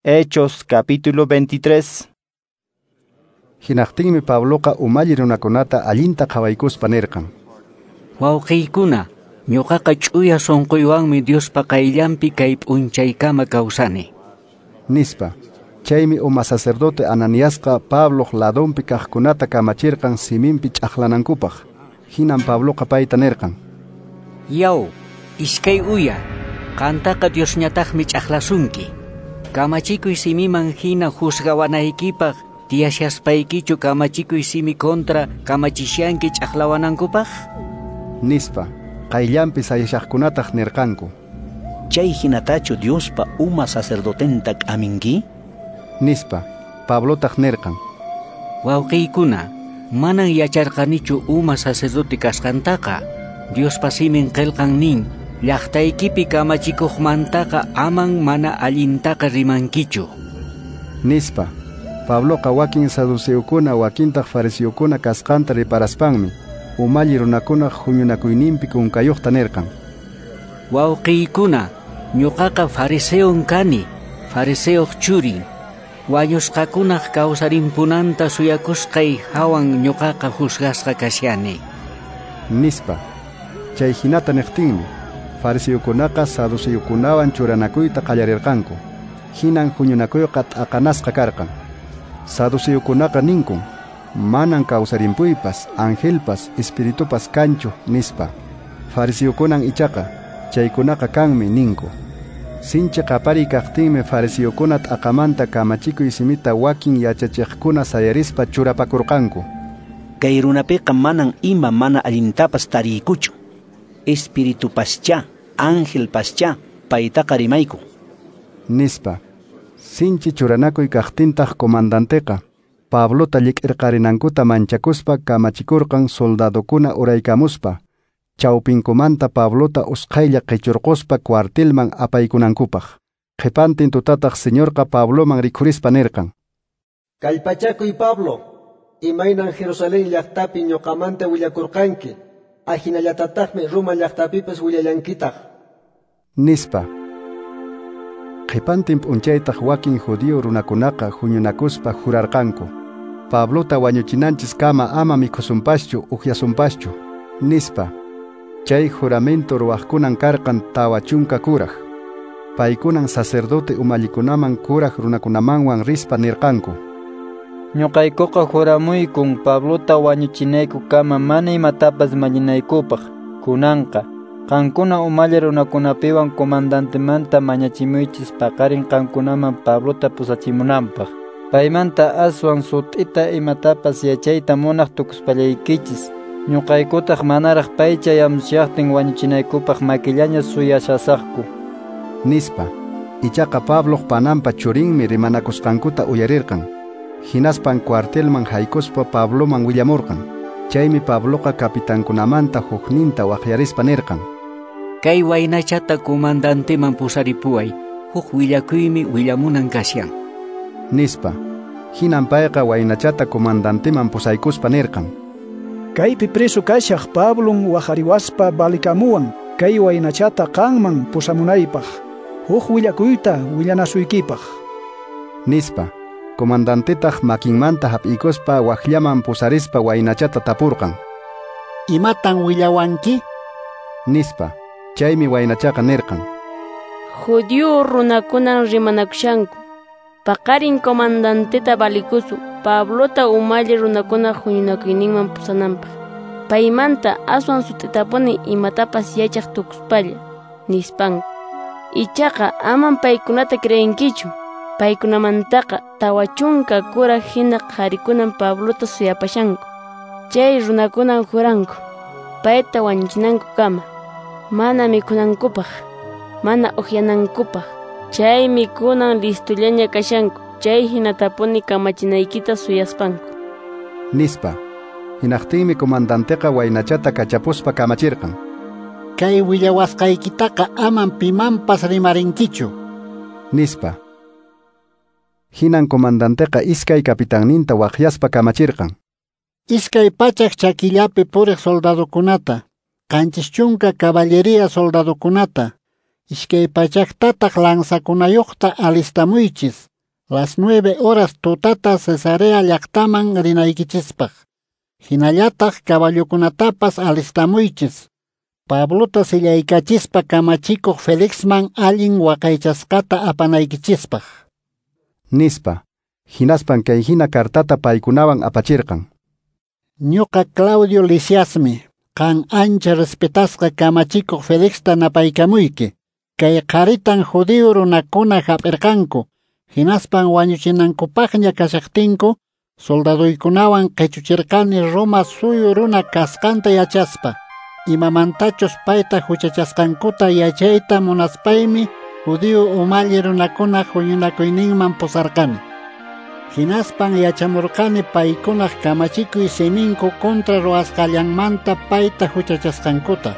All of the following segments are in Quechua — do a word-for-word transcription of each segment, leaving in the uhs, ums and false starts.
Hechos capítulo veintitrés. Hinaqtinmi Pabloqa umalli runakunata allinta qhawaykuspa nirqan: Wawqiykuna, ñuqaqa ch'uya sunquywanmi Diospa qayllanpi kay p'unchaykama kawsani, nispa. Chaymi uma sacerdote Ananiasqa Pabloq ladonpi kaqkunata kamachirqan siminpi ch'aqlanankupaq. Hinan Pabloqa payta nirqan: Yaw, iskay uya, qantaqa Diosñataqmi ch'aqlasunki. Kamachikuy simiman hina juzgawanaykipaq tiyashaspaykichu kamachikuy simi kontra kamachishanki ch'aqlawanankupaq, nispa. Qayllanpi sayashaqkunataq nirqanku: Chay hinatachu Diospa uma sacerdotenta k'aminki, nispa. Pablotaq nirqan: Wawqiykuna, manan yacharqanichu uma sacerdote kasqantaqa. Diospa simin qillqan nin: llaqtaykipi kamachikuqmantaqa aman mana allintaqa rimankichu, nispa. Pabloqa wakin saduceokuna wakintaq fariseokuna kasqanta riparaspanmi umalli runakunaq huñunakuyninpi kunkayuqta nirqan: Wawqiykuna, ñuqaqa fariseon kani, fariseoq churin. Wañusqakunaq kawsarimpunanta suyakusqay hawan ñuqaqa juzgasqa kashani, nispa. Chay hinata niqtinmi fariseokunaqa saduceokunawan churanakuyta qallarirqanku. Hinan huñunakuyqa t'aqanasqa karqan. Saduceokunaqa ninkun: manan kawsarimpuypas, angelpas, espiritupas kanchu, nispa. Fariseokunan ichaqa chaykunaqa kanmi ninku. Sinchi qapariy kaqtinmi fariseokuna t'aqamanta kamachikuy simita wakin yachachiqkuna sayarispa churapakurqanku: Kay runapiqa manan ima mana allintapas tariykuchu. Espiritupaschá, angelpaschá, paytaqa rimayku, nispa. Sinchi churanakuy kaqtintaq comandanteqa Pablota llik'irqarinankuta manchakuspa kamachikurqan soldadokuna uraykamuspa chawpinkumanta Pablota usqhaylla qichurquspa cuartelman apaykunankupaq. Qhipantin tutataq Señorqa Pabloman rikhurispa nirqan: Kallpachakuy Pablo, imaynan Jerusalén llaqtapi ñuqamanta willakurqanki, ahinallatataqmi Roma llaqtapipas willallankitaq, nispa. Qhipantin p'unchaytaq wakin judío runakunaqa huñunakuspa jurarqanku: Pablota wañuchinanchis kama ama mikhusunpaschu ukyasunpaschu, nispa. Chay juramento ruwaqkunan karqan tawa chunka kuraj. Paykunan sacerdote umallikunaman kuraj runakunamanwan rispa nirqanku: Ñuqaykuqa juramuykun Pablota wañuchinayku kama mana imatapas mallinaykupaq. Kunanqa qankuna umalli runakunapiwan comandantemanta mañachimuychis paqarin qankunaman Pablota pusachimunanpaq. Paymanta aswan sut'ita imatapas yachayta munaq tukuspallaykichis. Ñuqaykutaq manaraq pay chayamushaqtin wañuchinaykupaq makillaña suyashasaqku, nispa. Ichaqa Pabloq pananpa churinmi rimanakusqankuta uyarirqan. Hinaspan cuartelman haykuspa Pabloman willamurqan. Chaymi Pabloqa kapitankunamanta hukninta waqyarispa nirqan: Kay waynachata comandanteman pusaripuway, huk willakuymi willamunan kashan, nispa. Hinan payqa waynachata comandanteman pusaykuspa nirqan: Kaypi preso kashaq Pablon waqariwaspa balikamuwan kay waynachata qanman pusamunaypaq, huk willakuyta willanasuykipaq, nispa. Comandantetaq makinmanta hap'ikuspa waqllaman pusarispa waynachata tapurqan: Imatan willawanki?, nispa. Chaymi waynachaqa nirqan: Judío runakunan rimanakushanku. Paqarin comandanteta balikusu Pablota umalli runakuna huñunakuyninman pusananpaq. Paymanta aswan sut'itapuni imatapas yachaq tukuspalla, nispanku. Ichaqa aman paykunata creenkichu. Paykunamantaqa tawa chunka kuraj hina qharikunan Pablota suyapashanku. Chay runakunan juranku payta wañuchinankukama, mana mikhunankupaq, mana ukyanankupaq. Chaymi kunan listullaña kashanku, chay hinatapuni kamachinaykita suyaspanku, nispa. Hinaqtinmi comandanteqa waynachata kachapuspa kamachirqan: Kay willawasqaykitaqa aman pimanpas rimarinkichu, nispa. Hinan comandanteqa iskay kapitanninta waqyaspa kamachirqan: Iskay pachak chakillapi puriq soldadokunata, qanchis chunka caballería soldadokunata, iskay pachaktataq lanzakunayuqta alistamuychis. las nueve horas tutata Cesarea llaqtaman rinaykichispaq. Hinallataq caballokunatapas alistamuychis. Pablota sillaykachispa kamachikuq Felixman allin waqaychasqata apanaykichispaq. Nispa. Hinaspan kay hina kartata paykunawan apachirqan. Ñuqa Claudio Lisiasmi, qan ancha respetasqa kamachikuq Felixta napaykamuyki. Kay qharitan judío runakuna hap'irqanku, hinaspan wañuchinankupaqña kashaqtinku, soldaduykunawan qichuchirqani Roma suyu runa kasqanta yachaspa. Imamantachus payta huchachasqankuta yachayta munaspaymi judío umalli runakuna huñunakuyninman pusarqani. Hinaspan yachamurqani paykunaq kamachikuy siminku kontra ruwasqallanmanta payta huchachasqankuta.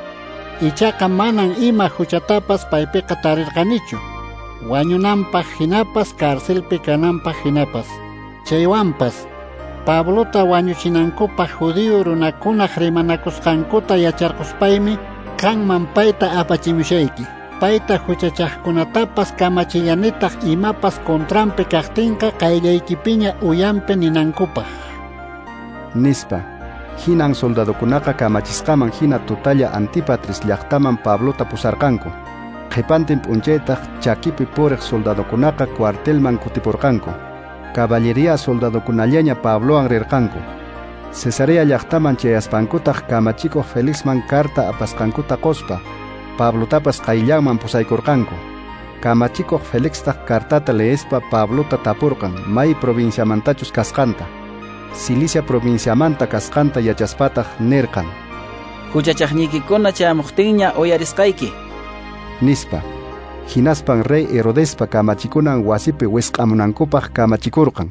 Ichaqa manan ima huchatapas paypiqa tarirqanichu. Wañunanpaq hinapas carcelpi kananpaq hinapas. Chaywanpas Pablota wañuchinankupaq judío runakunaq rimanakusqankuta yacharquspaymi qanman payta apachimushayki. Payta huchachaqkunatapas kamachillanitaq imapas contranpi kaqtinqa qayllaykipiña uyanpi ninankupaq. Nispa. Hinan soldadokunaqa kamachisqaman hina tutalla Antipatris llaqtaman Pablota pusarqanku. Qhipantin p'unchaytaq chakipi puriq soldadokunaqa cuartelman kutipurqanku. Caballería soldadokunallaña Pablowan rirqanku. Cesarea llaqtaman chayaspankutaq kamachikuq Felixman karta apasqankuta quspa Pablotapas qayllanman pusaykurqanku. Kamachikuq Felixtaq kartata leespa Pablota tapurqan may provinciamantachus kasqanta. Cilicia provinciamanta kasqanta yachaspataq nirqan: Huchachaqniykikuna chayamuqtinña uyarisqayki. Nispa. Hinaspan rey Herodespa kamachikunan wasipi wisq'amunankupaq kamachikurqan.